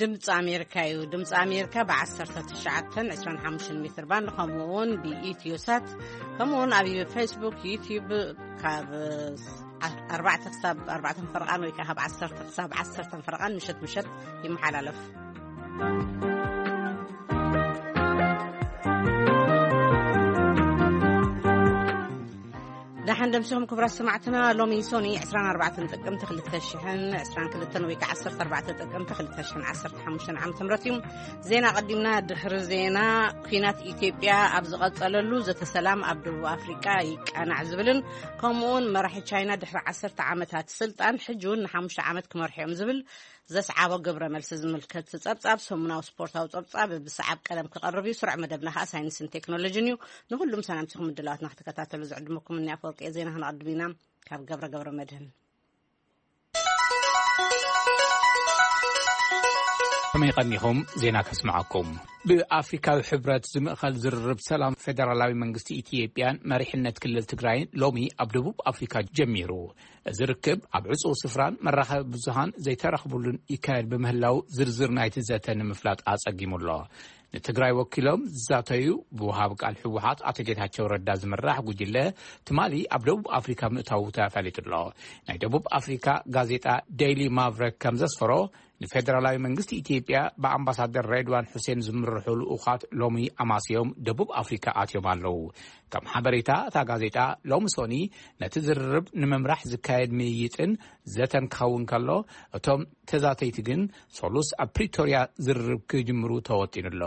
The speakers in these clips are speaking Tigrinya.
ድምፂ ኣሜሪካ እዩ። ድምፂ ኣሜሪካ ብ19፣ 25 ሜትር ባንድ፣ ከምኡ እውን ብኢትዮ ሳት፣ ከምኡ እውን ኣብ ፌስቡክ፣ ዩቲዩብ ካብ ኣርባዕተ ክሳብ ኣርባዕተ ፈረቓን ወይ ከዓ ካብ ዓሰርተ ክሳብ ዓሰርተ ፈረቓን ምሸት ምሸት ይመሓላለፍ። ደሓን ደምሲኹም ክቡራት ሰማዕትና። ሎሚ ሶኒ 24 ጥቅምቲ 2022 ወይ ከዓ 14 ጥቅምቲ 2015 ዓመተ ምህረት እዩ። ዜና ቀዲምና። ድሕሪ ዜና፣ ኲናት ኢትዮጵያ ኣብ ዝቐጸለሉ ዘተ ሰላም ኣብ ደቡብ ኣፍሪቃ ይቃናዕ ዝብልን ከምኡውን መራሒ ቻይና ድሕሪ ዓሰርተ ዓመታት ስልጣን ሕጂ እውን ንሓሙሽተ ዓመት ክመርሑ እዮም ዝብል ዘስዓቦ ግብረ መልሲ ዝምልከት ጸብጻብ፣ ሰሙናዊ ስፖርታዊ ጸብጻብ ብሰዓብ ቀደም ክቐርብ እዩ። ስሩዕ መደብና ከኣ ሳይንስን ቴክኖሎጂን እዩ። ንኹሉም ሰላምቲኹም ምድላዋትና ክትከታተሉ ዝዕድመኩም እኒ ኣፈወርቂ ዜና። ክንቐድም ኢና ካብ ገብረ ገብረ መድህን። ከመይ ቀኒኹም? ዜና ከስምዓኩም። ብኣፍሪካዊ ሕብረት ዝምእኸል ዝርርብ ሰላም ፌደራላዊ መንግስቲ ኢትዮጵያን መሪሕነት ክልል ትግራይን ሎሚ ኣብ ደቡብ ኣፍሪካ ጀሚሩ። እዚ ርክብ ኣብ ዕፁው ስፍራን መራኸቢ ብዙሃን ዘይተረኽብሉን ይካየድ ብምህላው ዝርዝር ናይቲ ዘተ ንምፍላጥ ኣጸጊሙ ኣሎ። ንትግራይ ወኪሎም ዝዛተዩ ብወሃቢ ቃል ህወሓት ኣቶ ጌታቸው ረዳ ዝምራሕ ጉጅለ ትማሊ ኣብ ደቡብ ኣፍሪካ ምእታዉ ተፈሊጡ ኣሎ። ናይ ደቡብ ኣፍሪካ ጋዜጣ ዴይሊ ማቭረክ ከም ዘስፈሮ፣ ንፌደራላዊ መንግስቲ ኢትዮጵያ ብኣምባሳደር ሬድዋን ሑሴን ዝምርሑ ልኡኻት ሎሚ ኣማስዮም ደቡብ ኣፍሪካ ኣትዮም ኣለዉ። ከም ሓበሬታ እታ ጋዜጣ፣ ሎሚ ሶኒ ነቲ ዝርርብ ንምምራሕ ዝካየድ ምይይጥን ዘተን ክኸውን ከሎ፣ እቶም ተዛተይቲ ግን ሰሉስ ኣብ ፕሪቶርያ ዝርርብ ክጅምሩ ተወጢኑ ኣሎ።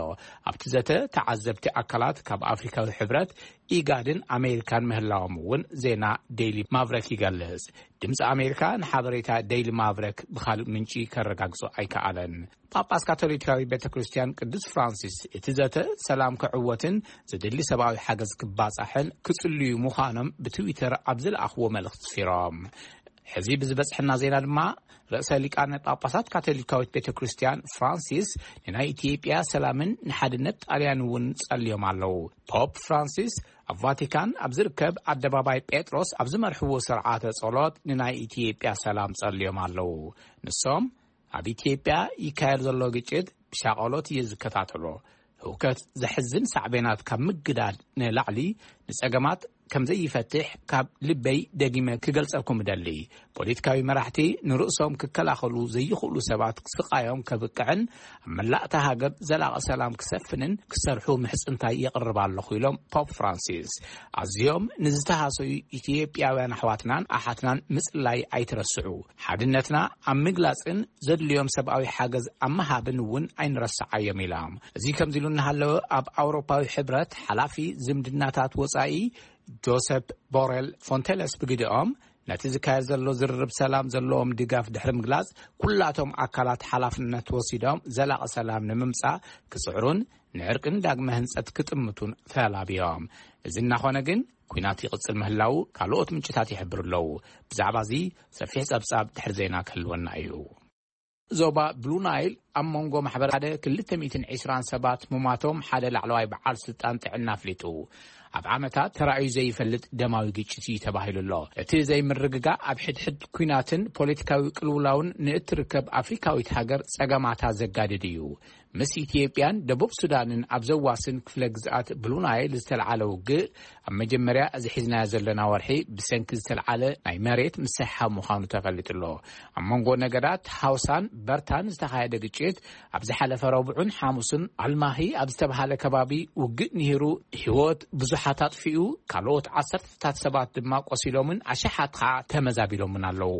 ኣብቲ ዘተ ተዓዘብቲ ኣካላት ካብ ኣፍሪካዊ ሕብረት፣ ኢጋድን ኣሜሪካን ምህላዎም እውን ዜና ዴይሊ ማቭረክ ይገልጽ። ድምፂ ኣሜሪካ ንሓበሬታ ዴይሊ ማቭረክ ብኻልእ ምንጪ ከረጋግጾ ኣይከኣለን። ጳጳስ ካቶሊካዊ ቤተ ክርስቲያን ቅዱስ ፍራንሲስ እቲ ዘተ ሰላም ክዕወትን ዝድሊ ሰብኣዊ ሓገዝ ክባጻሕን ክጽልዩ ምዃኖም ብትዊተር ኣብ ዝለኣኽዎ መልእኽቲ ስፊሮም። ሕዚ ብዝበጽሐና ዜና ድማ፣ ርእሰ ሊቃነ ጳጳሳት ካቶሊካዊት ቤተ ክርስቲያን ፍራንሲስ ንናይ ኢትዮጵያ ሰላምን ንሓድነት ጣልያን እውን ጸልዮም ኣለዉ። ፖፕ ፍራንሲስ ኣብ ቫቲካን ኣብ ዝርከብ ኣደባባይ ጴጥሮስ ኣብ ዝመርሕዎ ስርዓተ ጸሎት ንናይ ኢትዮጵያ ሰላም ጸልዮም ኣለዉ። ንሶም ኣብ ኢትዮጵያ ይካየድ ዘሎ ግጭት ብሻቐሎት እየ ዝከታተሎ። ህውከት ዘሕዝን ሳዕቤናት ካብ ምግዳድ ንላዕሊ ንጸገማት ከም ዘይፈትሕ ካብ ልበይ ደጊመ ክገልጸልኩም እደሊ። ፖለቲካዊ መራሕቲ ንርእሶም ክከላኸሉ ዘይኽእሉ ሰባት ስቓዮም ከብቅዕን ኣብ መላእታ ሃገር ዘላቒ ሰላም ክሰፍንን ክሰርሑ ምሕጽንታይ የቕርብ ኣለኹ ኢሎም ፖፕ ፍራንሲስ። ኣዝዮም ንዝተሃሰዩ ኢትዮጵያውያን ኣሕዋትናን ኣሓትናን ምጽላይ ኣይትረስዑ። ሓድነትና ኣብ ምግላጽን ዘድልዮም ሰብኣዊ ሓገዝ ኣብ ምሃብን እውን ኣይንረስዓዮም ኢሎም። እዚ ከምዚ ኢሉ እናሃለወ ኣብ ኣውሮፓዊ ሕብረት ሓላፊ ዝምድናታት ወጻኢ ጆሰፕ ቦሬል ፎንቴለስ ብግዲኦም ነቲ ዝካየድ ዘሎ ዝርርብ ሰላም ዘለዎም ድጋፍ ድሕሪ ምግላጽ ኩላቶም ኣካላት ሓላፍነት ወሲዶም ዘላቒ ሰላም ንምምጻእ ክጽዕሩን ንዕርቅን ዳግመ ህንጸት ክጥምቱን ተላብዮም። እዚ እናኾነ ግን ኲናት ይቕጽል ምህላው ካልኦት ምንጭታት ይሕብሩ ኣለዉ። ብዛዕባ እዚ ሰፊሕ ጸብጻብ ድሕሪ ዜና ክህልወና እዩ። ዞባ ብሉ ናይል ኣብ መንጎ ማሕበረ ሓደ ክልተ ሚእትን ዕስራን ሰባት ምሟቶም ሓደ ላዕለዋይ በዓል ስልጣን ጥዕና ኣፍሊጡ። ኣብ ዓመታት ተራእዩ ዘይፈልጥ ደማዊ ግጭት እዩ ተባሂሉ ኣሎ። እቲ ዘይምርግጋእ ኣብ ሕድሕድ ኲናትን ፖለቲካዊ ቅልውላውን ንእትርከብ ኣፍሪካዊት ሃገር ጸገማታ ዘጋድድ እዩ። ምስ ኢትዮጵያን ደቡብ ሱዳንን ኣብ ዘዋስን ክፍለ ግዝኣት ብሉ ናይል ዝተልዓለ ውግእ ኣብ መጀመርያ እዚ ሒዝናዮ ዘለና ወርሒ ብሰንኪ ዝተልዓለ ናይ መሬት ምስሕሓብ ምዃኑ ተፈሊጡ ኣሎ። ኣብ መንጎ ነገዳት ሃውሳን በርታን ዝተኻየደ ግጭት ኣብ ዝሓለፈ ረቡዕን ሓሙስን ኣልማሂ ኣብ ዝተብሃለ ከባቢ ውግእ ንሂሩ ህይወት ብዙሓት ኣጥፊኡ፣ ካልኦት ዓሰርተታት ሰባት ድማ ቆሲሎምን ኣሽሓት ኸዓ ተመዛቢሎምን ኣለዉ።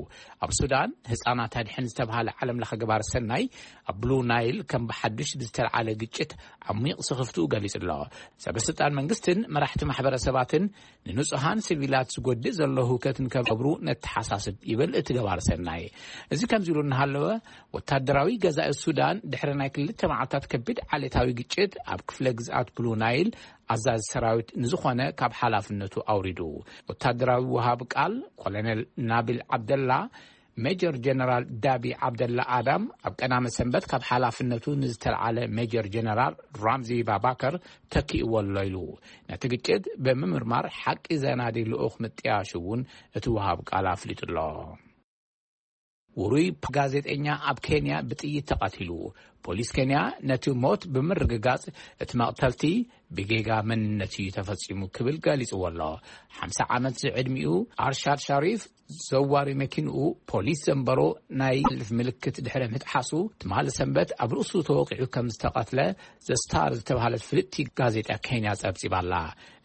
ኣብ ሱዳን ህፃናት ኣድሕን ዝተብሃለ ዓለም ለኸ ገባር ሰናይ ኣብ ብሉ ናይል ከም ብሓዱሽ ብዝተልዓለ ግጭት ዓሚቕ ስኽፍትኡ ገሊጹ ኣሎ። ሰበ ስልጣን መንግስትን መራሕቲ ማሕበረሰባትን ንንጹሃን ሲቪላት ዝጎድእ ዘሎ ህውከት ንከብሩ ነተሓሳስብ ይብል እቲ ገባር ሰናይ። እዚ ከምዚ ኢሉ እናሃለወ፣ ወታደራዊ ገዛኢ ሱዳን ድሕሪ ናይ ክልተ መዓልታት ከቢድ ዓሌታዊ ግጭት ኣብ ክፍለ ግዝኣት ብሉ ናይል ኣዛዚ ሰራዊት ንዝኾነ ካብ ሓላፍነቱ ኣውሪዱ። ወታደራዊ ወሃብ ቃል ኮሎኔል ናቢል ዓብደላ፣ ሜጀር ጀነራል ዳቢ ዓብደላ ኣዳም ኣብ ቀዳመ ሰንበት ካብ ሓላፍነቱ ንዝተልዓለ ሜጀር ጀነራል ራምዚ ባባከር ተኪእዎ ኣሎ ኢሉ። ነቲ ግጭት ብምምርማር ሓቂ ዘናዲ ልኡኽ ምጥያሹ እውን እቲ ወሃብ ቃል ኣፍሊጡ ኣሎ። ውሩይ ጋዜጠኛ ኣብ ኬንያ ብጥይት ተቐቲሉ። ፖሊስ ኬንያ ነቲ ሞት ብምርግጋጽ፣ እቲ መቕተልቲ ብጌጋ መንነት እዩ ተፈጺሙ ክብል ገሊጽዎ ኣሎ። ሓምሳ ዓመት ዝዕድሚኡ ኣርሻድ ሻሪፍ፣ ዘዋሪ መኪንኡ ፖሊስ ዘንበሮ ናይ ልፍ ምልክት ድሕሪ ምጥሓሱ፣ ትማሊ ሰንበት ኣብ ርእሱ ተወቂዑ ከም ዝተቐትለ ዘስታር ዝተባህለት ፍልጥቲ ጋዜጣ ኬንያ ጸብጺባ ኣላ።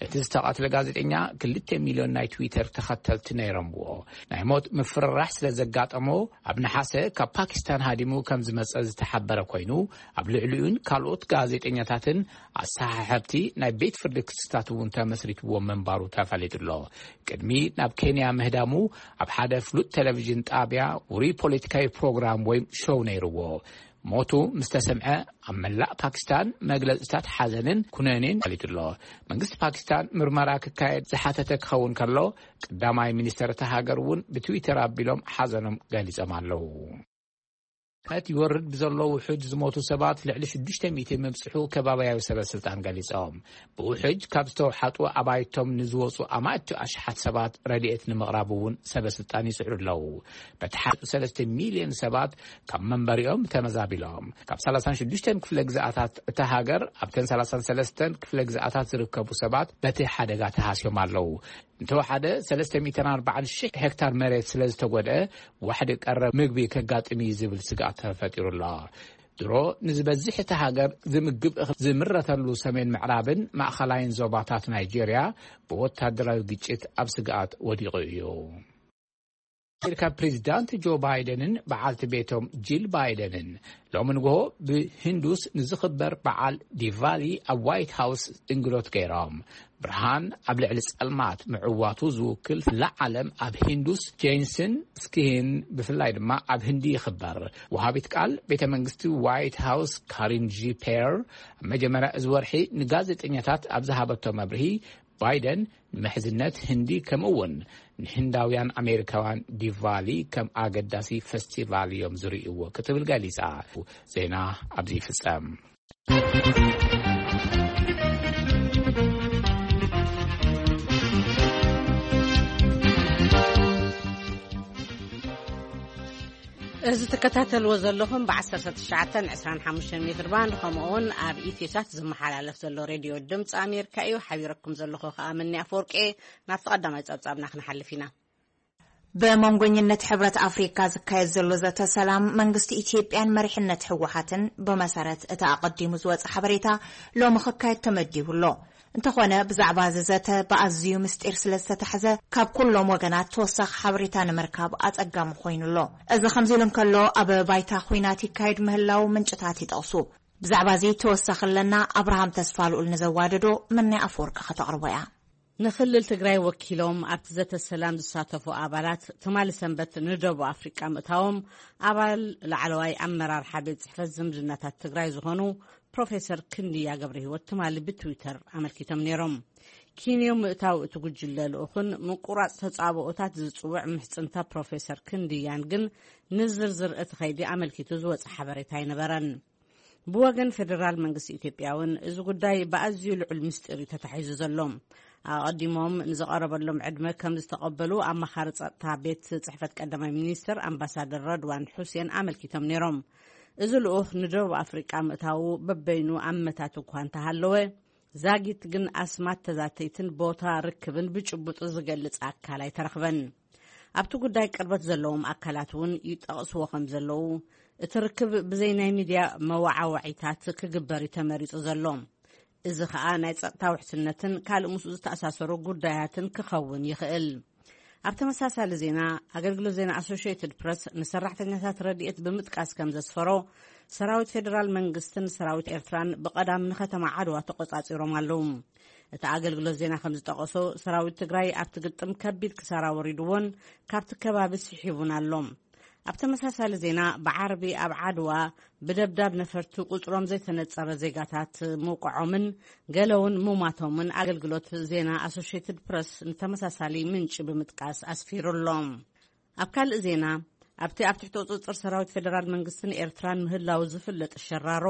እቲ ዝተቐትለ ጋዜጠኛ ክልተ ሚልዮን ናይ ትዊተር ተኸተልቲ ነይሮምዎ። ናይ ሞት ምፍርራሕ ስለ ዘጋጠሞ፣ ኣብ ነሓሰ ካብ ፓኪስታን ሃዲሙ ከም ዝመጸ ዝተሓበረ ኮይኑ፣ ኣብ ልዕሊኡን ካልኦት ጋዜጠኛታትን ኣሰሓሕብቲ ናይ ቤት ፍርዲ ክስታት እውን ተመስሪትዎ ምንባሩ ተፈሊጡ ኣሎ። ቅድሚ ናብ ኬንያ ምህዳሙ፣ ኣብ ሓደ ፍሉጥ ቴሌቪዥን ጣብያ ውሩይ ፖለቲካዊ ፕሮግራም ወይ ሾው ነይርዎ። ሞቱ ምስ ተሰምዐ፣ ኣብ መላእ ፓኪስታን መግለጽታት ሓዘንን ኩነኔን ተፈሊጡ ኣሎ። መንግስቲ ፓኪስታን ምርመራ ክካየድ ዝሓተተ ክኸውን ከሎ፣ ቀዳማይ ሚኒስተር እታ ሃገር እውን ብትዊተር ኣቢሎም ሓዘኖም ገሊጾም ኣለዉ። እቲ ይወርድ ብዘሎ ውሑጅ ዝሞቱ ሰባት ልዕሊ ሽዱሽተ ሚእቲ ምብጽሑ ከባብያዊ ሰበ ስልጣን ገሊጾም። ብውሑጅ ካብ ዝተውሓጡ ኣባይቶም ንዝወጹ ኣማእቲ ኣሽሓት ሰባት ረድኤት ንምቕራብ እውን ሰበ ስልጣን ይጽዕሩ ኣለዉ። በቲ ሓደ ሰለስተ ሚልዮን ሰባት ካብ መንበሪኦም ተመዛቢሎም። ካብ ሰላሳን ሽዱሽተን ክፍለ ግዝኣታት እታ ሃገር፣ ኣብተን ሰላሳን ሰለስተን ክፍለ ግዝኣታት ዝርከቡ ሰባት በቲ ሓደጋ ተሃስዮም ኣለዉ። እንተወሓደ ሰለስተ ሚእትን ኣርባዓን ሽሕ ሄክታር መሬት ስለ ዝተጎድአ፣ ዋሕዲ ቀረብ ምግቢ ከጋጥም እዩ ዝብል ስግኣት ተፈጢሩ ኣሎ። ድሮ ንዝበዝሕ እታ ሃገር ዝምግብ እኽሊ ዝምረተሉ ሰሜን ምዕራብን ማእኸላይን ዞባታት ናይጄርያ ብወታደራዊ ግጭት ኣብ ስግኣት ወዲቑ እዩ። ኣሜሪካ ፕሬዚዳንት ጆ ባይደንን በዓልቲ ቤቶም ጂል ባይደንን ሎሚ ንግሆ ብሂንዱስ ንዝኽበር በዓል ዲቫሊ ኣብ ዋይት ሃውስ እንግዶት ገይሮም። ብርሃን ኣብ ልዕሊ ጸልማት ምዕዋቱ ዝውክል፣ ኩላ ዓለም ኣብ ሂንዱስ ጀይንስን ስኪሂን፣ ብፍላይ ድማ ኣብ ህንዲ ይኽበር። ወሃቢት ቃል ቤተ መንግስቲ ዋይት ሃውስ ካሪን ጂ ፔር ኣብ መጀመርያ እዚ ወርሒ ንጋዜጠኛታት ኣብ ዝሃበቶ መብርሂ፣ ባይደን ንምሕዝነት ህንዲ፣ ከምኡ እውን ንህንዳውያን ኣሜሪካውያን ዲቫሊ ከም ኣገዳሲ ፈስቲቫል እዮም ዝርእይዎ ክትብል ገሊጻ። ዜና ኣብዚ ይፍጸም። እዚ ትከታተልዎ ዘለኹም ብ ዓሰርተ ትሽዓተ ዕስራን ሓሙሽተን ሜትር ባንድ፣ ከምኡ እውን ኣብ ኢትዮሳት ዝመሓላለፍ ዘሎ ሬድዮ ድምፂ ኣሜሪካ እዩ። ሓቢረኩም ዘለኹ ከኣ መኒ ኣፈወርቂ። ናብቲ ቀዳማይ ጸብጻብና ክንሓልፍ ኢና። ብመንጎኝነት ሕብረት ኣፍሪካ ዝካየድ ዘሎ ዘተ ሰላም መንግስቲ ኢትዮጵያን መሪሕነት ህወሓትን፣ ብመሰረት እቲ ኣቐዲሙ ዝወፀ ሓበሬታ፣ ሎሚ ክካየድ ተመዲቡ ኣሎ። እንተኾነ፣ ብዛዕባ እዚ ዘተ ብኣዝዩ ምስጢር ስለ ዝተታሕዘ፣ ካብ ኩሎም ወገናት ተወሳኺ ሓበሬታ ንምርካብ ኣጸጋሚ ኮይኑ ኣሎ። እዚ ከምዚ ኢሉ እንከሎ፣ ኣብ ባይታ ኲናት ይካየድ ምህላው ምንጭታት ይጠቕሱ። ብዛዕባ እዚ ተወሳኺ ኣለና። ኣብርሃም ተስፋ ልኡል ንዘዋደዶ፣ መናይ ኣፈወርቂ ከተቕርቦ እያ። ንክልል ትግራይ ወኪሎም ኣብቲ ዘተ ሰላም ዝሳተፉ ኣባላት፣ ትማሊ ሰንበት ንደቡብ ኣፍሪቃ ምእታዎም፣ ኣባል ላዕለዋይ ኣመራርሓ ቤት ጽሕፈት ዝምድናታት ትግራይ ዝኾኑ ፕሮፌሰር ክንድያ ገብረ ህይወት ትማሊ ብትዊተር ኣመልኪቶም ነይሮም። ኪንዮ ምእታው እቲ ጉጅለ ልኡኽን ምቁራጽ ተጻብኦታት ዝጽውዕ ምሕጽንታ ፕሮፌሰር ክንድያን ግን ንዝርዝር እቲ ኸይዲ ኣመልኪቱ ዝወጸ ሓበሬታ ኣይነበረን። ብወገን ፌደራል መንግስቲ ኢትዮጵያ እውን እዚ ጉዳይ ብኣዝዩ ልዑል ምስጢር እዩ ተታሒዙ ዘሎ። ኣቐዲሞም ንዝቐረበሎም ዕድመ ከም ዝተቐበሉ ኣማኻሪ ጸጥታ ቤት ጽሕፈት ቀዳማይ ሚኒስትር ኣምባሳደር ረድዋን ሑሴን ኣመልኪቶም ነይሮም። እዚ ልኡኽ ንደቡብ ኣፍሪቃ ምእታዉ በበይኑ ኣመታት እኳ እንተሃለወ፣ ዛጊት ግን ኣስማት ተዛተይትን ቦታ ርክብን ብጭቡጥ ዝገልጽ ኣካል ኣይተረኽበን። ኣብቲ ጉዳይ ቅርበት ዘለዎም ኣካላት እውን ይጠቕስዎ ከም ዘለዉ፣ እቲ ርክብ ብዘይ ናይ ሚድያ መወዓወዒታት ክግበር እዩ ተመሪጹ ዘሎ። እዚ ኸኣ ናይ ጸጥታ ውሕስነትን ካልእ ምስኡ ዝተኣሳሰሩ ጉዳያትን ክኸውን ይኽእል። ኣብ ተመሳሳሊ ዜና፣ ኣገልግሎት ዜና ኣሶሽየትድ ፕረስ ንሰራሕተኛታት ረድኤት ብምጥቃስ ከም ዘስፈሮ፣ ሰራዊት ፌደራል መንግስትን ሰራዊት ኤርትራን ብቐዳም ንከተማ ዓድዋ ተቖጻጺሮም ኣለዉ። እቲ ኣገልግሎት ዜና ከም ዝጠቐሶ፣ ሰራዊት ትግራይ ኣብቲ ግጥም ከቢድ ክሳራ ወሪድዎን ካብቲ ከባቢ ስሒቡን ኣሎ። ኣብ ተመሳሳሊ ዜና፣ ብዓርቢ ኣብ ዓድዋ ብደብዳብ ነፈርቲ ቁጽሮም ዘይተነጸረ ዜጋታት ምውቃዖምን ገለ እውን ምሟቶምን ኣገልግሎት ዜና ኣሶሽየትድ ፕረስ ንተመሳሳሊ ምንጪ ብምጥቃስ ኣስፊሩ ኣሎ። ኣብ ካልእ ዜና፣ ኣብቲ ኣብ ትሕቲ ቁጽጽር ሰራዊት ፌደራል መንግስትን ኤርትራን ምህላው ዝፍለጥ ሸራሮ፣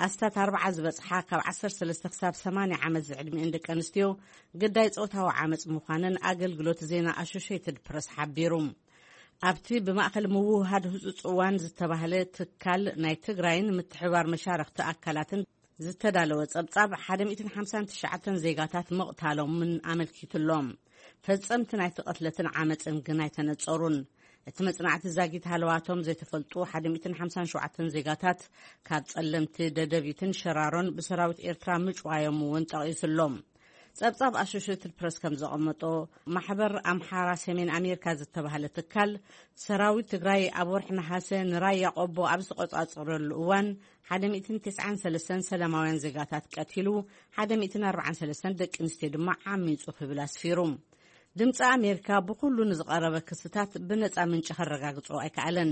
ኣስታት ኣርብዓ ዝበጽሓ ካብ ዓሰርተ ሰለስተ ክሳብ ሰማንያ ዓመት ዝዕድሚኤን ደቂ ኣንስትዮ ግዳይ ጾታዊ ዓመጽ ምዃነን ኣገልግሎት ዜና ኣሶሽየትድ ፕረስ ሓቢሩ። ኣብቲ ብማእኸል ምውህሃድ ህጹጽ እዋን ዝተባህለ ትካል ናይ ትግራይን ምትሕባር መሻርኽቲ ኣካላትን ዝተዳለወ ጸብጻብ፣ ሓደ ሚእትን ሓምሳን ትሽዓተን ዜጋታት ምቕታሎምን ኣመልኪቱሎም። ፈጸምቲ ናይቲ ቅትለትን ዓመጽን ግን ኣይተነጸሩን። እቲ መጽናዕቲ ዛጊት ሃለዋቶም ዘይተፈልጡ ሓደ ሚእትን ሓምሳን ሸውዓተን ዜጋታት ካብ ጸለምቲ ደደቢትን ሸራሮን ብሰራዊት ኤርትራ ምጭዋዮም እውን ጠቒሱሎም። ጸብጻብ ኣሶሽትድ ፕረስ ከም ዘቐመጦ፣ ማሕበር ኣምሓራ ሰሜን ኣሜሪካ ዝተባህለ ትካል፣ ሰራዊት ትግራይ ኣብ ወርሒ ነሓሰ ንራያ ቆቦ ኣብ ዝተቆጻጸረሉ እዋን፣ ሓደ ሚእትን ተስዓን ሰለስተን ሰላማውያን ዜጋታት ቀቲሉ፣ ሓደ ሚእትን ኣርባዓን ሰለስተን ደቂ ኣንስትዮ ድማ ዓሚጹ ክብል ኣስፊሩ። ድምፂ ኣሜሪካ ብኩሉ ንዝቐረበ ክስታት ብነፃ ምንጪ ከረጋግጾ ኣይከኣለን።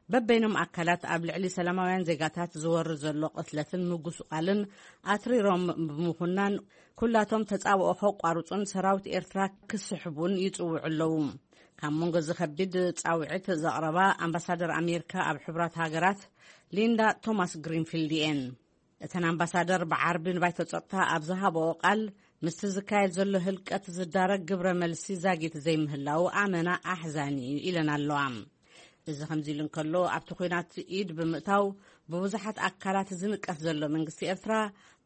በበይኖም ኣካላት ኣብ ልዕሊ ሰላማውያን ዜጋታት ዝወርድ ዘሎ ቅትለትን ምጉስቋልን ኣትሪሮም ብምኹናን፣ ኩላቶም ተጻብኦ ከቋርጹን ሰራዊት ኤርትራ ክስሕቡን ይጽውዑ ኣለዉ። ካብ መንጎ እዚ ከቢድ ጻውዒት ዘቕረባ ኣምባሳደር ኣሜሪካ ኣብ ሕቡራት ሃገራት ሊንዳ ቶማስ ግሪንፊልድ እየን። እተን ኣምባሳደር ብዓርቢ ንባይቶ ጸጥታ ኣብ ዝሃበኦ ቃል፣ ምስቲ ዝካየድ ዘሎ ህልቀት ዝዳረግ ግብረ መልሲ ዛጊት ዘይምህላው ኣመና ኣሕዛኒ እዩ ኢለን ኣለዋ። እዚ ከምዚ ኢሉ እንከሎ፣ ኣብቲ ኲናት ኢድ ብምእታው ብብዙሓት ኣካላት ዝንቀፍ ዘሎ መንግስቲ ኤርትራ፣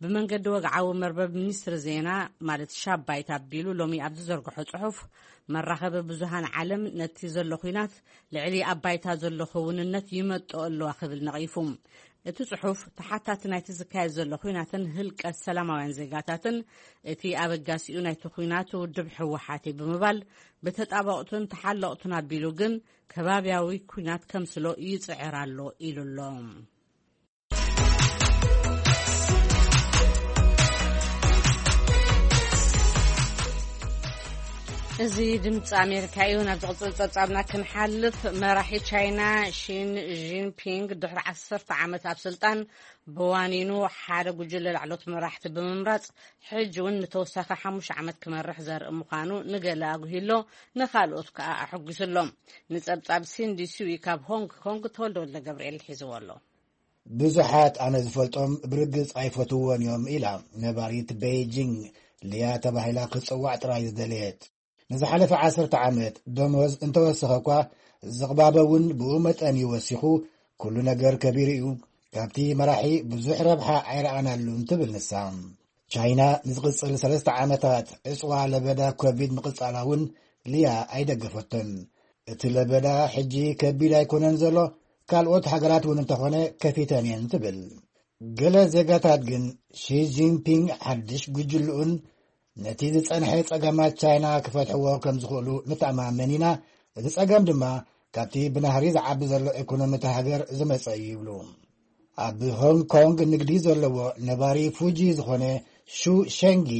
ብመንገዲ ወግዓዊ መርበብ ሚኒስትሪ ዜና፣ ማለት ሻባይት ኣቢሉ ሎሚ ኣብ ዝዘርግሖ ጽሑፍ፣ መራኸቢ ብዙሃን ዓለም ነቲ ዘሎ ኲናት ልዕሊ ኣብ ባይታ ዘሎ ክውንነት ይመጥኦ ኣለዋ ክብል ነቒፉ። እቲ ጽሑፍ፣ ተሓታቲ ናይቲ ዝካየድ ዘሎ ኲናትን ህልቀት ሰላማውያን ዜጋታትን እቲ ኣበጋሲኡ ናይቲ ኲናት ውድብ ህወሓት እዩ ብምባል፣ ብተጣበቕቱን ተሓለቕቱን ኣቢሉ ግን ከባብያዊ ኲናት ከምስሎ ይጽዕር ኣሎ ኢሉ ኣሎ። እዚ ድምፂ ኣሜሪካ እዩ። ናብ ዝቕፅል ፀብፃብና ክንሓልፍ፣ መራሒ ቻይና ሺን ጂንፒንግ ድሕሪ ዓሰርተ ዓመት ኣብ ስልጣን ብዋኒኑ ሓደ ጉጅለ ላዕሎት መራሕቲ ብምምራፅ፣ ሕጂ እውን ንተወሳኺ ሓሙሽተ ዓመት ክመርሕ ዘርኢ ምዃኑ ንገለ ኣጉሂሎ፣ ንኻልኦት ከዓ ኣሐጒሱ ኣሎ። ንፀብፃብ ሲንዲ ስዊ ካብ ሆንግ ኮንግ ተወልደ ወልደ ገብርኤል ሒዝዎ ኣሎ። ብዙሓት ኣነ ዝፈልጦም ብርግጽ ኣይፈትውዎን እዮም ኢላ ነባሪት ቤይጂንግ ሊያ ተባሂላ ክትጽዋዕ ጥራይ ዝደለየት። ንዝሓለፈ ዓሰርተ ዓመት ደሞዝ እንተወሰኸ እኳ፣ ዝቕባበ እውን ብኡ መጠን እዩ ወሲኹ፣ ኩሉ ነገር ከቢሩ እዩ፣ ካብቲ መራሒ ብዙሕ ረብሓ ኣይረኣናሉን ትብል ንሳ። ቻይና ንዝቕጽል ሰለስተ ዓመታት ዕጽዋ ለበዳ ኮቪድ ምቕጻላ እውን ሊያ ኣይደገፈቶን። እቲ ለበዳ ሕጂ ከቢድ ኣይኮነን ዘሎ፣ ካልኦት ሃገራት እውን እንተኾነ ከፊተን እየን ትብል። ገለ ዜጋታት ግን ሺ ጂንፒንግ ሓድሽ ጉጅልኡን ነቲ ዝጸንሐ ጸገማት ቻይና ክፈትሕዎ ከም ዝኽእሉ ንተኣማመን ኢና። እቲ ጸገም ድማ ካብቲ ብናህሪ ዝዓቢ ዘሎ ኢኮኖሚ እታ ሃገር ዝመጸ እዩ ይብሉ። ኣብ ሆንግ ኮንግ ንግዲ ዘለዎ ነባሪ ፉጂ ዝኾነ ሹ ሸንጊ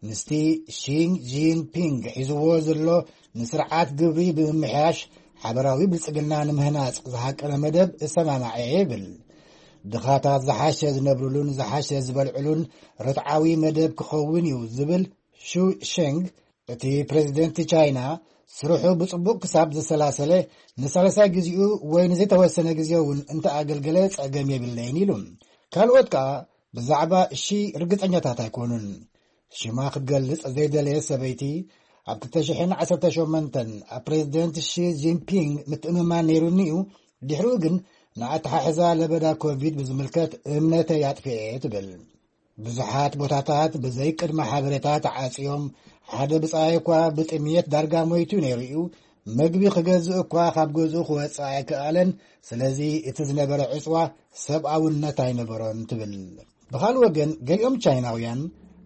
ምስቲ ሺ ጂንፒንግ ሒዝዎ ዘሎ ንስርዓት ግብሪ ብምምሕያሽ ሓበራዊ ብልጽግና ንምህናጽ ዝሃቀነ መደብ እሰማማዐ ይብል። ድኻታት ዝሓሸ ዝነብርሉን ዝሓሸ ዝበልዕሉን ርትዓዊ መደብ ክኸውን እዩ ዝብል ሹ ሸንግ፣ እቲ ፕሬዝደንት ቻይና ስርሑ ብጽቡቕ ክሳብ ዘሰላሰለ፣ ንሳልሳይ ግዜኡ ወይ ንዘይተወሰነ ግዜ እውን እንተኣገልገለ ጸገም የብለይን ኢሉ። ካልኦት ከኣ ብዛዕባ ሺ ርግጸኛታት ኣይኮኑን። ሽማ ክትገልጽ ዘይደለየት ሰበይቲ፣ ኣብ ክልተ ሽሕን ዓሰርተ ሸሞንተን ኣብ ፕሬዝደንት ሺ ጂንፒንግ ምትእምማን ነይሩኒ እዩ፣ ድሕሪኡ ግን ንኣተሓሕዛ ለበዳ ኮቪድ ብዝምልከት እምነተይ ኣጥፊኤ እየ ትብል። ብዙሓት ቦታታት ብዘይ ቅድመ ሓበሬታ ተዓጽዮም፣ ሓደ ብጻይ እኳ ብጥምየት ዳርጋ ሞይቱ ነይሩ እዩ። መግቢ ክገዝእ እኳ ካብ ገዝኡ ክወጽእ ኣይከኣለን። ስለዚ እቲ ዝነበረ ዕጽዋ ሰብኣውነት ኣይነበሮን ትብል። ብኻልእ ወገን፣ ገሊኦም ቻይናውያን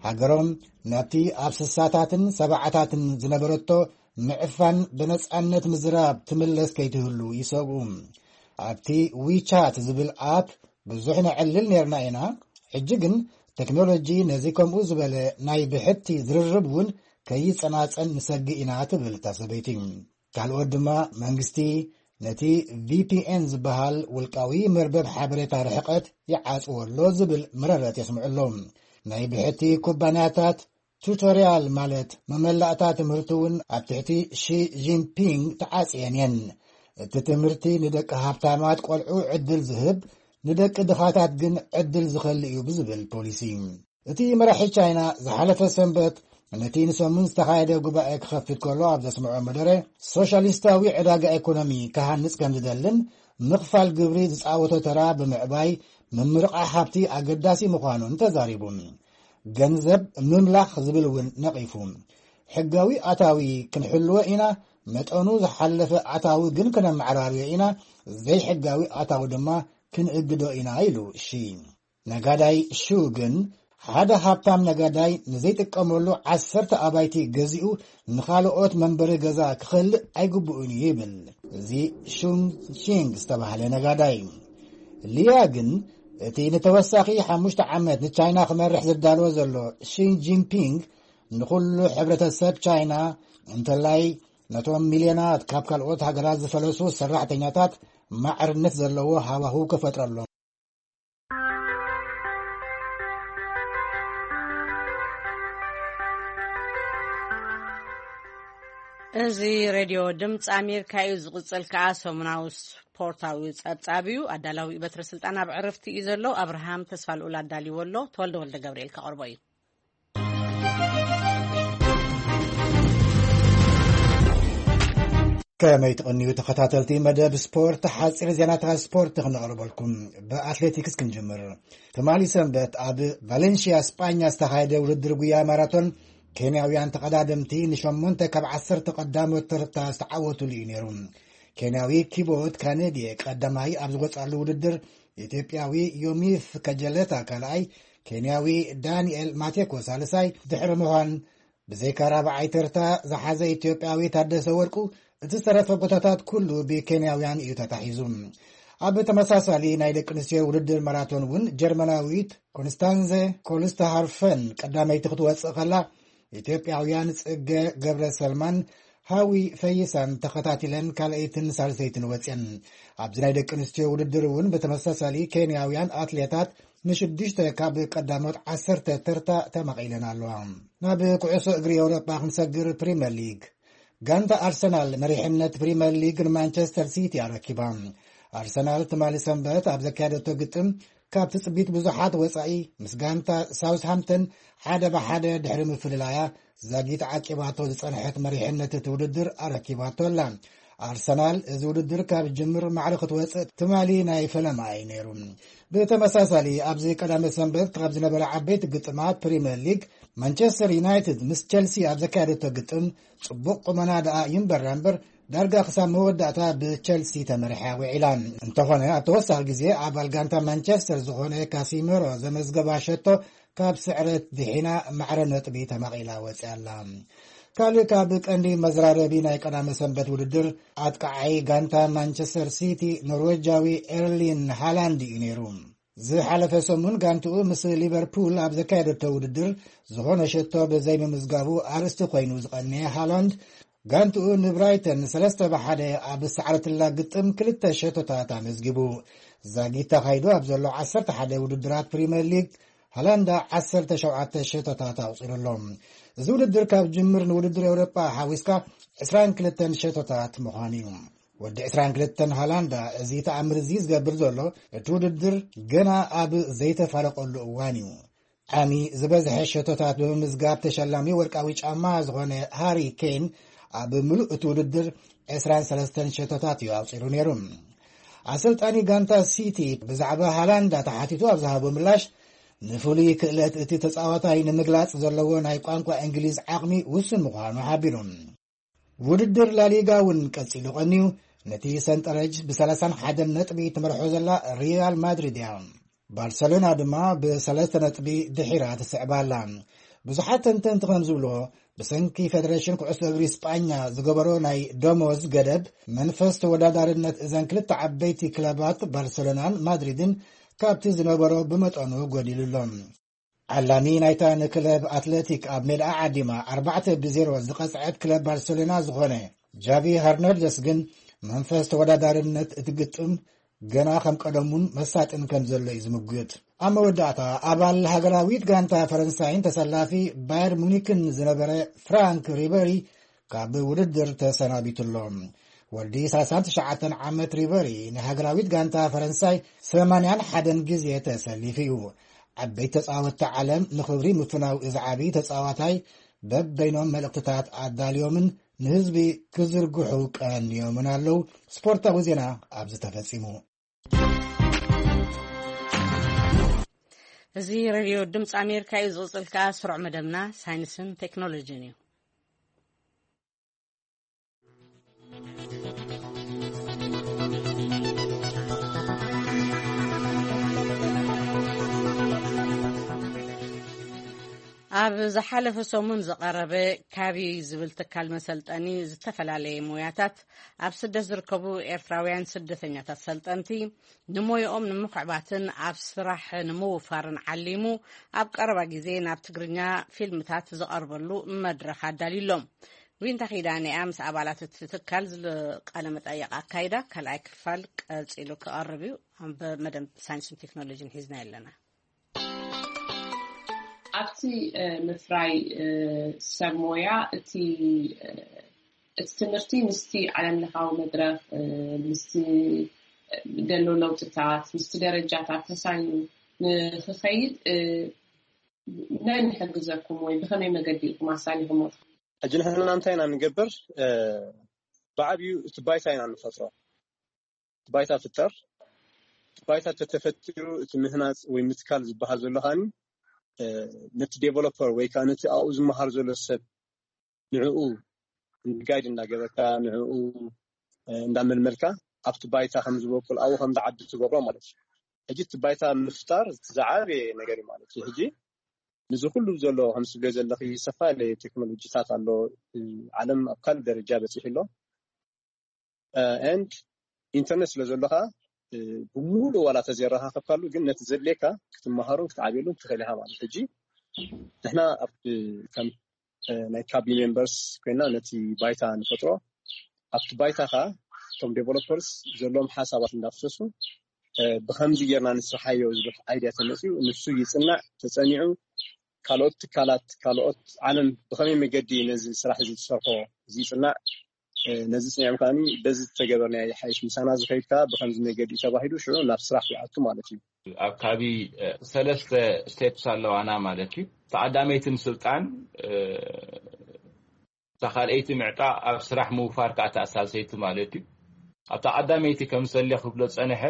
ሃገሮም ናብቲ ኣብ ስሳታትን ሰብዓታትን ዝነበረቶ ምዕፋን ብነጻነት ምዝራብ ትምለስ ከይትህሉ ይሰግኡ። ኣብቲ ዊቻት ዝብል ኣፕ ብዙሕ ነዕልል ነርና ኢና። ሕጂ ግን ቴክኖሎጂ ነዚ ከምኡ ዝበለ ናይ ብሕቲ ዝርርብ እውን ከይጸናጸን ንሰግእ ኢና ትብል እታ ሰበይቲ። ካልኦት ድማ መንግስቲ ነቲ ቪ ፒ ኤን ዝበሃል ውልቃዊ መርበብ ሓበሬታ ርሕቀት ይዓጽዎ ኣሎ ዝብል መረረት የስምዑ ኣለዉ። ናይ ብሕቲ ኩባንያታት ቱቶርያል ማለት መመላእታ ትምህርቲ እውን ኣብ ትሕቲ ሺ ጂንፒንግ ተዓጽየን እየን። እቲ ትምህርቲ ንደቂ ሃብታማት ቆልዑ ዕድል ዝህብ፣ ንደቂ ድኻታት ግን ዕድል ዝኸልእ እዩ ብዝብል ፖሊሲ። እቲ መራሒ ቻይና ዝሓለፈ ሰንበት ነቲ ንሰሙን ዝተኻየደ ጉባኤ ክኸፍት ከሎ ኣብ ዘስምዖ መደረ፣ ሶሻሊስታዊ ዕዳጋ ኢኮኖሚ ክሃንጽ ከም ዝደልን ምኽፋል ግብሪ ዝጻወቶ ተራ ብምዕባይ ምምርቓ ሃብቲ ኣገዳሲ ምዃኑን ተዛሪቡ። ገንዘብ ምምላኽ ዝብል እውን ነቒፉ። ሕጋዊ ኣታዊ ክንሕልዎ ኢና፣ መጠኑ ዝሓለፈ ኣታዊ ግን ክነመዓራርዮ ኢና፣ ዘይሕጋዊ ኣታዊ ድማ ክንእግዶ ኢና ኢሉ ሺ። ነጋዳይ ሹ ግን ሓደ ሃብታም ነጋዳይ ንዘይጥቀመሉ ዓሰርተ ኣባይቲ ገዚኡ ንኻልኦት መንበሪ ገዛ ክኸልእ ኣይግብኡን እዩ ይብል። እዚ ሹንግ ሺንግ ዝተባህለ ነጋዳይ። ሊያ ግን እቲ ንተወሳኺ ሓሙሽተ ዓመት ንቻይና ክመርሕ ዝዳለወ ዘሎ ሺ ጂንፒንግ ንኹሉ ሕብረተሰብ ቻይና እንተላይ ነቶም ሚልዮናት ካብ ካልኦት ሃገራት ዝፈለሱ ሰራሕተኛታት ማዕርነት ዘለዎ ሃዋህው ክፈጥረሎም። እዚ ሬድዮ ድምፂ ኣሜሪካ እዩ። ዝቕፅል ከዓ ሰሙናዊ ስፖርታዊ ፀብፃብ እዩ። ኣዳላዊ በትረ ስልጣን ኣብ ዕረፍቲ እዩ ዘሎ። ኣብርሃም ተስፋ ልኡል ኣዳልዎ ኣሎ። ተወልደ ወልደ ገብርኤል ከቕርቦ እዩ። ከመይ ትቕንዩ ተኸታተልቲ መደብ ስፖርት፣ ሓፂር ዜናታት ስፖርት ክነቕርበልኩም። ብኣትሌቲክስ ክንጅምር። ትማሊ ሰንበት ኣብ ቫሌንሽያ ስጳኛ ዝተኻየደ ውድድር ጉያ ማራቶን ኬንያውያን ተቐዳደምቲ ንሸሞንተ ካብ ዓሰርተ ቀዳሞት ተርታ ዝተዓወቱሉ እዩ ነይሩ። ኬንያዊ ኪቦት ካኔድየ ቀዳማይ ኣብ ዝወጻሉ ውድድር፣ ኢትዮጵያዊ ዮሚፍ ከጀለታ ካልኣይ፣ ኬንያዊ ዳንኤል ማቴኮ ሳልሳይ ድሕሪ ምዃን፣ ብዘይካ ራብዓይ ተርታ ዝሓዘ ኢትዮጵያዊ ታደሰ ወርቁ እቲ ዝተረፈ ቦታታት ኩሉ ብኬንያውያን እዩ ተታሒዙ። ኣብ ተመሳሳሊ ናይ ደቂ ኣንስትዮ ውድድር ማራቶን እውን ጀርመናዊት ኮንስታንዘ ኮልስተሃርፈን ቀዳመይቲ ክትወጽእ ከላ፣ ኢትዮጵያውያን ጽገ ገብረ ሰልማን ሃዊ ፈይሳን ተኸታቲለን ካልኣይትን ሳልሰይትን ወጽየን። ኣብዚ ናይ ደቂ ኣንስትዮ ውድድር እውን ብተመሳሳሊ ኬንያውያን ኣትሌታት ንሽዱሽተ ካብ ቀዳሞት ዓሰርተ ተርታ ተማቒለን ኣለዋ። ናብ ኩዕሶ እግሪ ኤውሮጳ ክንሰግር። ፕሪምየር ሊግ። ጋንታ ኣርሰናል መሪሕነት ፕሪምየር ሊግ ንማንቸስተር ሲቲ ኣረኪባ። ኣርሰናል ትማሊ ሰንበት ኣብ ዘካየደቶ ግጥም ካብ ትጽቢት ብዙሓት ወጻኢ ምስ ጋንታ ሳውስሃምፕተን ሓደ ብሓደ ድሕሪ ምፍልላያ ዛጊት ዓቂባቶ ዝጸንሐት መሪሕነት እቲ ውድድር ኣረኪባቶ ኣላ። ኣርሰናል እዚ ውድድር ካብ ጅምር ማዕረ ክትወጽእ ትማሊ ናይ ፈለማ እዩ ነይሩ። ብተመሳሳሊ ኣብዚ ቀዳመ ሰንበት ካብ ዝነበረ ዓበይቲ ግጥማት ፕሪምየር ሊግ ማንቸስተር ዩናይትድ ምስ ቸልሲ ኣብ ዘካየደቶ ግጥም ጽቡቕ ቁመና ደኣ ይንበራ እምበር ዳርጋ ክሳብ መወዳእታ ብቸልሲ ተመሪሓ ውዒላ። እንተኾነ ኣብ ተወሳኺ ግዜ ኣባል ጋንታ ማንቸስተር ዝኾነ ካሲሜሮ ዘመዝገባ ሸቶ ካብ ስዕረት ድሒና ማዕረ ነጥቢ ተማቒላ ወፂኣ ኣላ። ካልእ ካብ ቀንዲ መዘራረቢ ናይ ቀዳመ ሰንበት ውድድር ኣጥቃዓይ ጋንታ ማንቸስተር ሲቲ ኖርዌጃዊ ኤርሊን ሃላንድ እዩ ነይሩ። ዝሓለፈ ሰሙን ጋንትኡ ምስ ሊቨርፑል ኣብ ዘካየደቶ ውድድር ዝኾነ ሸቶ ብዘይምምዝጋቡ ኣርእስቲ ኮይኑ ዝቐነየ ሃላንድ ጋንትኡ ንብራይተን ሰለስተ ብሓደ ኣብ ዝሰዓረትላ ግጥም ክልተ ሸቶታት ኣመዝጊቡ። ዛጊት ተኻይዱ ኣብ ዘሎ ዓሰርተ ሓደ ውድድራት ፕሪምየር ሊግ ሃላንዳ ዓሰርተ ሸውዓተ ሸቶታት ኣቑፂሩ ኣሎ። እዚ ውድድር ካብ ጅምር ንውድድር ኤውሮጳ ሓዊስካ ዕስራን ክልተን ሸቶታት ምዃኑ እዩ። ወዲ ዕስራን ክልተን ሃላንዳ እዚ ተኣምር እዚ ዝገብር ዘሎ እቲ ውድድር ገና ኣብ ዘይተፋለቀሉ እዋን እዩ። ዓሚ ዝበዝሐ ሸቶታት ብምምዝጋብ ተሸላሚ ወርቃዊ ጫማ ዝኾነ ሃሪ ኬን ኣብ ምሉእ እቲ ውድድር ዕስራን ሰለስተን ሸቶታት እዩ ኣውፂሩ ነይሩ። ኣሰልጣኒ ጋንታ ሲቲ ብዛዕባ ሃላንዳ ተሓቲቱ ኣብ ዝሃቦ ምላሽ ንፍሉይ ክእለት እቲ ተጻዋታይ ንምግላጽ ዘለዎ ናይ ቋንቋ እንግሊዝ ዓቕሚ ውሱን ምዃኑ ሓቢሩ። ውድድር ላሊጋ እውን ቀጺሉ ቀንዩ። ነቲ ሰንጠረጅ ብ ሰላሳን ሓደን ነጥቢ ትመርሖ ዘላ ሪያል ማድሪድ እያ። ባርሰሎና ድማ ብሰለስተ ነጥቢ ድሒራ ትስዕባ ኣላ። ብዙሓት ተንተንቲ ከም ዝብልዎ፣ ብሰንኪ ፌደሬሽን ኩዕሶ እግሪ ስጳኛ ዝገበሮ ናይ ደሞዝ ገደብ፣ መንፈስ ተወዳዳርነት እዘን ክልተ ዓበይቲ ክለባት ባርሰሎናን ማድሪድን ካብቲ ዝነበሮ ብመጠኑ ጎዲሉ ኣሎ። ዓላሚ ናይታ ንክለብ ኣትለቲክ ኣብ ሜዳ ዓዲማ ኣርባዕተ ብዜሮ ዝቐጽዐት ክለብ ባርሰሎና ዝኾነ ጃቪ ሀርናንደስ ግን መንፈስ ተወዳዳርነት እቲ ግጥም ገና ከም ቀደሙን መሳጥን ከም ዘሎ እዩ ዝምጉት። ኣብ መወዳእታ ኣባል ሃገራዊት ጋንታ ፈረንሳይን ተሰላፊ ባየር ሙኒክን ዝነበረ ፍራንክ ሪበሪ ካብ ውድድር ተሰናቢቱ ኣሎ። ወዲ ሰላሳን ትሽዓተን ዓመት ሪበሪ ንሃገራዊት ጋንታ ፈረንሳይ ሰማንያን ሓደን ግዜ ተሰሊፉ እዩ። ዓበይቲ ተጻወትቲ ዓለም ንኽብሪ ምፍናው እዚ ዓቢ ተጻዋታይ በበይኖም መልእኽትታት ኣዳልዮምን ንህዝቢ ክዝርግሑ ቀንዮምን ኣለዉ። ስፖርታዊ ዜና ኣብዚ ተፈጺሙ። እዚ ሬድዮ ድምፂ ኣሜሪካ እዩ። ዝቕፅል ከኣ ስሩዕ መደብና ሳይንስን ቴክኖሎጂን እዩ። ኣብ ዝሓለፈ ሰሙን ዝቐረበ ካቢ ዝብል ትካል መሰልጠኒ ዝተፈላለየ ሞያታት ኣብ ስደት ዝርከቡ ኤርትራውያን ስደተኛታት ሰልጠንቲ ንሞይኦም ንምኽዕባትን ኣብ ስራሕ ንምውፋርን ዓሊሙ ኣብ ቀረባ ግዜ ናብ ትግርኛ ፊልምታት ዝቐርበሉ መድረኽ ኣዳልዩሎም። ዊንታ ኪዳነ እያ ምስ ኣባላት እቲ ትካል ዝቃለ መጠየቕ ኣካይዳ። ካልኣይ ክፋል ቀጺሉ ክቐርብ እዩ። ኣብ መደብ ሳይንስን ቴክኖሎጂን ሒዝና ኣለና። ኣብቲ ምፍራይ ሰብ ሞያ እቲ እቲ ትምህርቲ ምስቲ ዓለም ለኻዊ መድረኽ ምስቲ ደሎ ለውጥታት ምስቲ ደረጃታት ተሳይኑ ንክኸይድ መን ይሕግዘኩም ወይ ብኸመይ መገዲ ኢኹም ኣሳሊኹሞ? ሕጂ ንሕና እንታይ ኢና ንገብር? ብዓብዩ እቲ ባይታ ኢና ንፈጥሮ። ባይታ ፍጠር። ባይታ ተተፈጢሩ እቲ ምህናፅ ወይ ምትካል ዝበሃል ዘሎ ከዓኒ ነቲ ዴቨሎፐር ወይ ከዓ ነቲ ኣብኡ ዝመሃር ዘሎ ሰብ ንዕኡ ጋይድ እንዳገበርካ ንዕኡ እንዳመልመልካ ኣብቲ ባይታ ከም ዝበቁል ኣብኡ ከም ዝዓቢ ትገብሮ ማለት እዩ። ሕጂ እቲ ባይታ ምፍጣር ዝዓበየ ነገር እዩ ማለት እዩ። ሕጂ ንዚ ኩሉ ዘሎ ከም ስብለ ዘለኺ ሰፋ ቴክኖሎጂታት ኣሎ። ዓለም ኣብ ካልእ ደረጃ በፂሑ ኣሎ። ኤንድ ኢንተርኔት ስለ ዘሎ ከዓ ብሙሉእ ዋላ ተዘይረኻኸብካሉ ግን ነቲ ዘድልየካ ክትመሃሩን ክትዓብየሉን ትኽእል ኢኻ ማለት። ሕጂ ንሕና ኣብ ከም ናይ ካቢ ሜምበርስ ኮይና ነቲ ባይታ ንፈጥሮ። ኣብቲ ባይታ ከዓ እቶም ዴቨሎፐርስ ዘለዎም ሓሳባት እንዳፍሰሱ ብከምዚ ጌርና ንስርሓዮ ዝብል ኣይድያ ተመፅኡ ንሱ ይፅናዕ። ተፀኒዑ ካልኦት ትካላት ካልኦት ዓለም ብከመይ መገዲ ነዚ ስራሕ እዚ ዝሰርሖ እዚ ይፅናዕ። ነዚ ፅኒዖም ከዓኒ በዚ ዝተገበርናዮ ይሓይሽ ምሳና ዝኸይድ ከዓ ብከምዚ መገዲ እዩ ተባሂሉ ሽዑ ናብ ስራሕ ይኣቱ ማለት እዩ። ኣብ ካቢ ሰለስተ ስቴፕስ ኣለዋና ማለት እዩ። ተቐዳመይቲ ምስልጣን እታ ካልኣይቲ ምዕጣ ኣብ ስራሕ ምውፋር ከዓ ተኣሳሰይቲ ማለት እዩ። ኣብታ ቀዳመይቲ ከም ሰለ ክብሎ ፀንሐ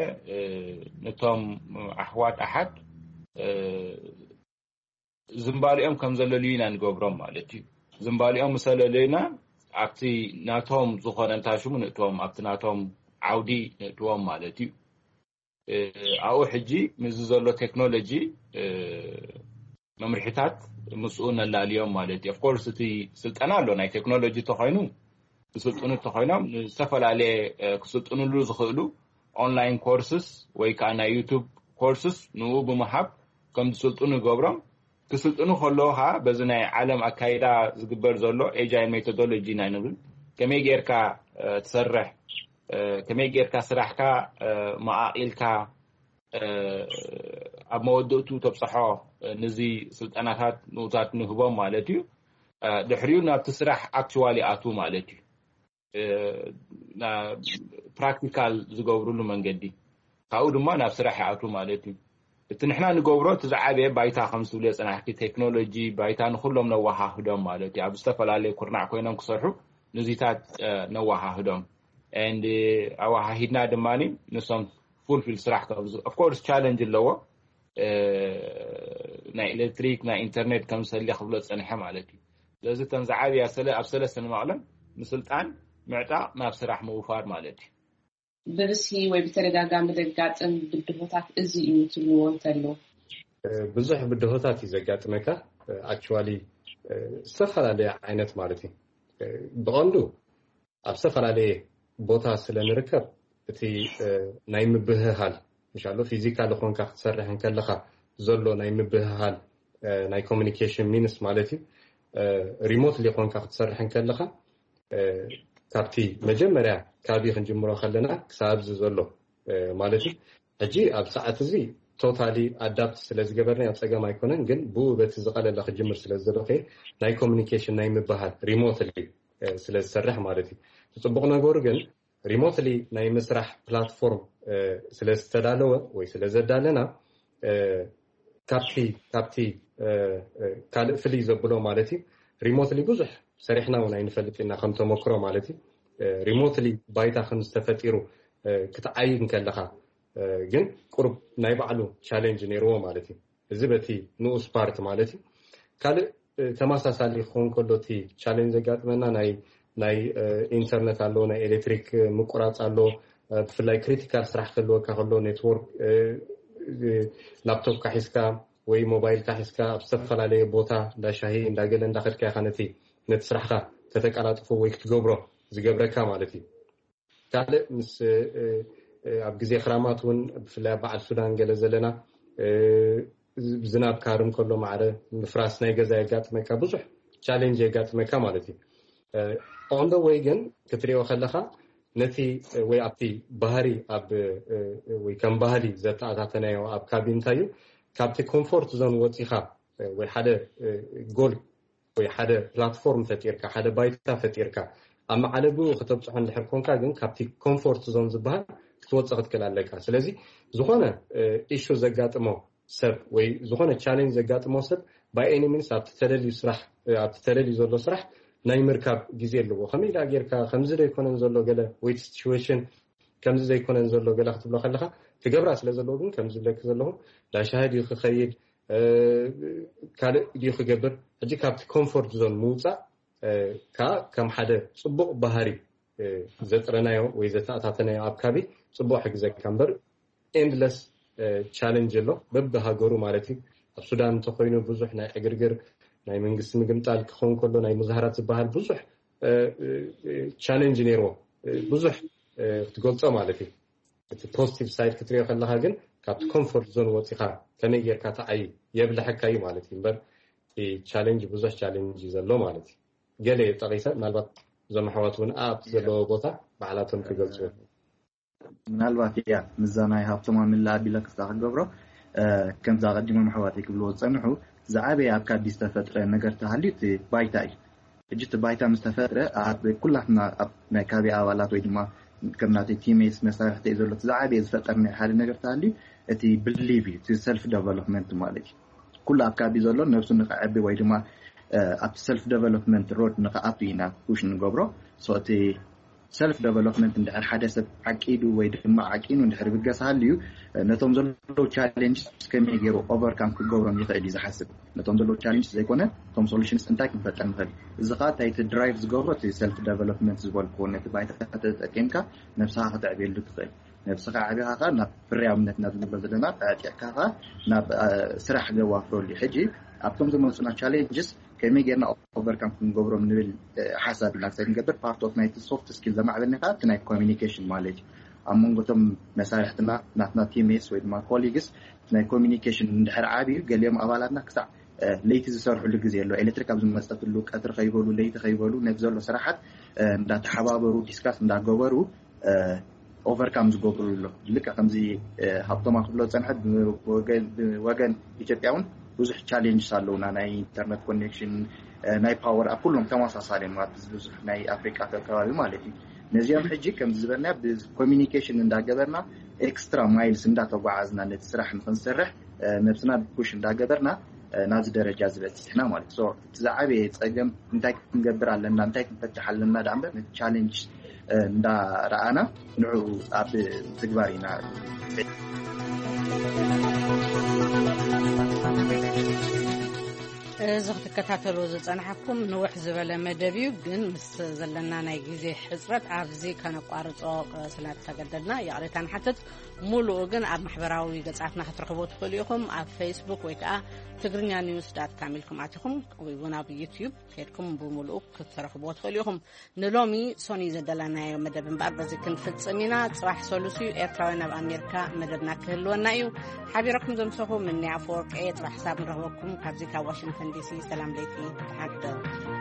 ነቶም ኣሕዋት ኣሓት ዝምባሊኦም ከም ዘለልዩ ኢና ንገብሮም ማለት እዩ። ዝምባሊኦም ምሰለለዩና ኣብቲ ናቶም ዝኾነ እንታይ ሽሙ ንእቶም ኣብቲ ናቶም ዓውዲ ንእትዎም ማለት እዩ። ኣብኡ ሕጂ ምስዚ ዘሎ ቴክኖሎጂ መምርሒታት ምስኡ ነላልዮም ማለት እዩ። ኦፍኮርስ እቲ ስልጠና ኣሎ ናይ ቴክኖሎጂ ተኮይኑ ክስልጥኑ ተኮይኖም ዝተፈላለየ ክስልጥንሉ ዝኽእሉ ኦንላይን ኮርስስ ወይ ከዓ ናይ ዩቱብ ኮርስስ ንኡ ብምሃብ ከም ዝስልጥኑ ይገብሮም። ክስልጥኑ ከለዉ ከዓ በዚ ናይ ዓለም ኣካይዳ ዝግበር ዘሎ ኤጃይል ሜቶዶሎጂ ናይ ንብል ከመይ ጌርካ ትሰርሕ፣ ከመይ ጌርካ ስራሕካ መቓቒልካ ኣብ መወድእቱ ተብፅሖ ንዚ ስልጠናታት ንኡታት ንህቦም ማለት እዩ። ድሕሪኡ ናብቲ ስራሕ ኣክዋል ይኣትዉ ማለት እዩ። ፕራክቲካል ዝገብሩሉ መንገዲ ካብኡ ድማ ናብ ስራሕ ይኣትዉ ማለት እዩ። እቲ ንሕና ንገብሮ እቲ ዝዓበየ ባይታ ከም ዝብልዮ ፅናሕቲ ቴክኖሎጂ ባይታ ንኩሎም ነወሃህዶም ማለት እዩ። ኣብ ዝተፈላለዩ ኩርናዕ ኮይኖም ክሰርሑ ንዚታት ነወሃህዶም and ኣወሃሂድና ድማ ንሶም ፉልፊል ስራሕ ኦፍኮርስ ቻለንጅ ኣለዎ። ናይ ኤሌክትሪክ ናይ ኢንተርኔት ከም ዝሰሊ ክብሎ ዝፀንሐ ማለት እዩ። ስለዚ እተን ዝዓብያ ኣብ ሰለስተ ንመቕለን ምስልጣን ምዕጣቕ ናብ ስራሕ ምውፋር ማለት እዩ። ብብዝሒ ወይ ብተደጋጋሚ ዘጋጥም ብድሆታት እዚ እዩ ትብልዎ እንተሎ? ብዙሕ ብድሆታት እዩ ዘጋጥመካ። ኣክቹዋሊ ዝተፈላለየ ዓይነት ማለት እዩ። ብቐንዱ ኣብ ዝተፈላለየ ቦታ ስለ ንርከብ እቲ ናይ ምብህሃል ምሻሎ ፊዚካሊ ኮንካ ክትሰርሕ እንከለካ ዘሎ ናይ ምብህሃል ናይ ኮሚኒኬሽን ሚንስ ማለት እዩ። ሪሞትሊ ኮንካ ክትሰርሕ እንከለካ ካብቲ መጀመርያ ካቢ ክንጅምሮ ከለና ክሳብ ኣብዚ ዘሎ ማለት እዩ። ሕጂ ኣብ ሰዓት እዚ ቶታሊ ኣዳፕት ስለ ዝገበርና ኣብ ፀገም ኣይኮነን፣ ግን ብኡ በቲ ዝቐለለ ክጅምር ስለ ዝደለኹ ናይ ኮሚኒኬሽን ናይ ምበሃል ሪሞትሊ ስለ ዝሰርሕ ማለት እዩ። እቲ ፅቡቕ ነገሩ ግን ሪሞትሊ ናይ ምስራሕ ፕላትፎርም ስለ ዝተዳለወ ወይ ስለ ዘዳለና ካብቲ ካብቲ ካልእ ፍልይ ዘብሎ ማለት እዩ ሪሞትሊ ብዙሕ ሰሪሕና እውን ኣይንፈልጥ ኢና፣ ከም ተመክሮ ማለት እዩ። ሪሞትሊ ባይታ ከም ዝተፈጢሩ ክትዓይ እንከለኻ ግን ቁሩብ ናይ ባዕሉ ቻሌንጅ ነይርዎ ማለት እዩ። እዚ በቲ ንኡስ ፓርት ማለት እዩ። ካልእ ተመሳሳሊ ክኸውን ከሎ እቲ ቻሌንጅ ዘጋጥመና ናይ ናይ ኢንተርነት ኣሎ፣ ናይ ኤሌክትሪክ ምቁራፅ ኣሎ። ብፍላይ ክሪቲካል ስራሕ ክህልወካ ከሎ ኔትወርክ፣ ላፕቶፕካ ሒዝካ ወይ ሞባይልካ ሒዝካ ኣብ ዝተፈላለየ ቦታ እንዳሻሂ እንዳገለ እንዳኸድካ ኢኻ ነቲ ነቲ ስራሕካ ከተቀላጥፎ ወይ ክትገብሮ ዝገብረካ ማለት እዩ። ካልእ ምስ ኣብ ግዜ ክራማት እውን ብፍላይ ኣብ በዓል ሱዳን ገለ ዘለና ዝናብ ካርም ከሎ ማዕረ ምፍራስ ናይ ገዛ የጋጥመካ፣ ብዙሕ ቻሌንጅ የጋጥመካ ማለት እዩ። ኦን ደ ወይ ግን ክትሪኦ ከለካ ነቲ ወይ ኣብቲ ባህሪ ኣብ ወይ ከም ባህሊ ዘተኣታተናዮ ኣብ ካቢ እንታይ እዩ፣ ካብቲ ኮምፎርት ዞን ወፂኻ ወይ ሓደ ጎል ወይ ሓደ ፕላትፎርም ፈጢርካ፣ ሓደ ባይታ ፈጢርካ ኣብ መዓለቡ ከተብፅሖ እንድሕር ኮንካ ግን ካብቲ ኮምፎርት ዞን ዝበሃል ክትወፅእ ክትክእል ኣለካ። ስለዚ ዝኾነ ኢሹ ዘጋጥሞ ሰብ ወይ ዝኾነ ቻሌንጅ ዘጋጥሞ ሰብ ባይ ኤኒ ሚንስ ኣብቲ ተደልዩ ስራሕ ኣብቲ ተደልዩ ዘሎ ስራሕ ናይ ምርካብ ግዜ ኣለዎ። ከመይ ዳ ጌርካ ከምዚ ዶ ኣይኮነን ዘሎ ገለ ወይ ሲቹዌሽን ከምዚ ዘይኮነን ዘሎ ገለ ክትብሎ ከለካ ትገብራ ስለ ዘለዎ ግን ከምዚ ብለክ ዘለኹ ዳሻሂ ድዩ ክኸይድ ካልእ ድዩ ክገብር ሕጂ ካብቲ ኮምፎርት ዞን ምውፃእ ከዓ ከም ሓደ ፅቡቕ ባህሪ ዘጥረናዮ ወይ ዘተኣታተናዮ ኣብ ካቢ ፅቡቕ ሕግዘካ እምበር ኤንድለስ ቻለንጅ ኣሎ በብሃገሩ ማለት እዩ። ኣብ ሱዳን እንተኮይኑ ብዙሕ ናይ ዕግርግር ናይ መንግስቲ ምግምጣል ክኸውን ከሎ ናይ ሙዛሃራት ዝበሃል ብዙሕ ቻለንጅ ነይርዎ። ብዙሕ ክትገልፆ ማለት እዩ። እቲ ፖዚቲቭ ሳይድ ክትሪኦ ከለካ ግን ካብቲ ኮምፎርት ዞን ወፂካ ከመይ ጌርካ ተዓይ የብልሐካ እዩ ማለት እዩ እምበር ቻለንጅ ብዙሕ ቻለንጅ እዩ ዘሎ ማለት እዩ። ገለ ጠቂሰ ምናልባት እዞም ኣሕዋት እውን ኣብቲ ዘለዎ ቦታ ባዕላቶም ክገልፁ ምናልባት እያ ምዛ ናይ ሃብቶም ኣምላ ኣቢለ ክፍታ ክገብሮ ከምዛ ቀዲሞም ኣሕዋት ክብልዎ ዝፀንሑ ዝዓበየ ኣብ ካቢ ዝተፈጥረ ነገር ተሃልዩ እቲ ባይታ እዩ። ሕጂ እቲ ባይታ ምስ ተፈጥረ ኣብ ኩላትና ኣብ ናይ ካቢ ኣባላት ወይ ድማ ከም ናተይ ቲሜትስ መሳርሕቲ እዩ ዘሎ ዝዓበየ ዝፈጠርና ሓደ ነገር ተሃልዩ እቲ ብሊቭ እዩ እቲ ሰልፍ ደቨሎፕመንት ማለት እዩ። ኩሉ ኣብ ካቢ ዘሎ ነብሱ ንክዕቢ ወይ ድማ ኣብቲ ሰልፍ ደቨሎፕመንት ሮድ ንክኣቱ ኢና ፑሽ ንገብሮ። እቲ ሰልፍ ደቨሎፕመንት እንድሕር ሓደ ሰብ ዓቂዱ ወይ ድማ ዓቂኑ እንድሕር ብገስ ሃልዩ ነቶም ዘለዉ ቻሌንጅ ከመይ ገይሩ ኦቨርካም ክገብሮም ይኽእል እዩ ዝሓስብ። ነቶም ዘለዉ ቻሌንጅ ዘይኮነ እቶም ሶሉሽንስ እንታይ ክንፈጥር ንኽእል። እዚ ከዓ እንታይ እቲ ድራይቭ ዝገብሮ እቲ ሰልፍ ደቨሎፕመንት ዝበልኩዎ ነቲ ባይታ ተጠቂምካ ነብስኻ ከተዕብየሉ ትኽእል። ነብስኻ ዓቢኻ ከዓ ናብ ፍርያምነት ናብ ንብሎ ዘለና ኣዕጢቕካ ከዓ ናብ ስራሕ ዘዋፍረሉ ሕጂ ኣብቶም ዝመፁና ቻሌንጅስ ከመይ ጌርና ኦቨርካም ክንገብሮም ንብል ሓሳብ ኢና ክሳይ ንገብር ፓርት ኦፍ ናይቲ ሶፍት ስኪል ዘማዕበልና ከዓ እቲ ናይ ኮሚኒኬሽን ማለት እዩ። ኣብ መንጎቶም መሳርሕትና ናትና ቲሜትስ ወይ ድማ ኮሊግስ ናይ ኮሚኒኬሽን እንድሕር ዓብዩ ገሊኦም ኣባላትና ክሳዕ ለይቲ ዝሰርሕሉ ግዜ ኣሎ። ኤሌክትሪክ ኣብ ዝመፀትሉ ቀትሪ ከይበሉ ለይቲ ከይበሉ ነቲ ዘሎ ስራሓት እንዳተሓባበሩ ዲስካስ እንዳገበሩ ኦቨርካም ዝገብሩ ኣሎ። ልክዕ ከምዚ ሃብቶማ ክብሎ ዝፀንሐ ብወገን ኢትዮጵያ እውን ብዙሕ ቻሌንጅስ ኣለውና። ናይ ኢንተርነት ኮኔክሽን ናይ ፓወር ኣብ ኩሎም ተመሳሳሊ እዮም ኣብዚ ብዙሕ ናይ ኣፍሪቃ ከባቢ ማለት እዩ። ነዚኦም ሕጂ ከምዚ ዝበልና ብኮሚኒኬሽን እንዳገበርና ኤክስትራ ማይልስ እንዳተጓዓዝና ነቲ ስራሕ ንክንሰርሕ ነብስና ፑሽ እንዳገበርና ናብዚ ደረጃ ዝበፅሕና ማለት እዩ። እቲ ዝዓበየ ፀገም እንታይ ክንገብር ኣለና እንታይ ክንፈትሕ ኣለና ዳ እምበር ነቲ ቻሌንጅ እንዳረኣና ንዑ ኣብ ትግባር ኢና። እዚ ክትከታተሉ ዝፀናሕኩም ንውሕ ዝበለ መደብ እዩ፣ ግን ምስ ዘለና ናይ ግዜ ሕፅረት ኣብዚ ከነቋርፆ ስለተገደድና ይቕሬታ ንሓትት። ሙሉኡ ግን ኣብ ማሕበራዊ ገፃትና ክትረኽቦ ትኽእሉ ኢኹም። ኣብ ፌስቡክ ወይ ከዓ ትግርኛ ኒውስ ዳት ካም ኢልኩም ኣቲኹም ወይ እውን ኣብ ዩትዩብ ከድኩም ብሙሉኡ ክትረኽብዎ ትኽእሉ ኢኹም። ንሎሚ ሶኒ ዘደለናዮ መደብ እምበኣር በዚ ክንፍፅም ኢና። ፅባሕ ሰሉስ እዩ፣ ኤርትራውያን ኣብ ኣሜሪካ መደብና ክህልወና እዩ። ሓቢረኩም ዘምሰኹ ምንያ ኣፈወርቂ እየ። ፅባሕ ክሳብ ንረኽበኩም ካብዚ ካብ ዋሽንግተን ዲሲ ሰላም ለይቲ፣ ደሓን ሕደሩ።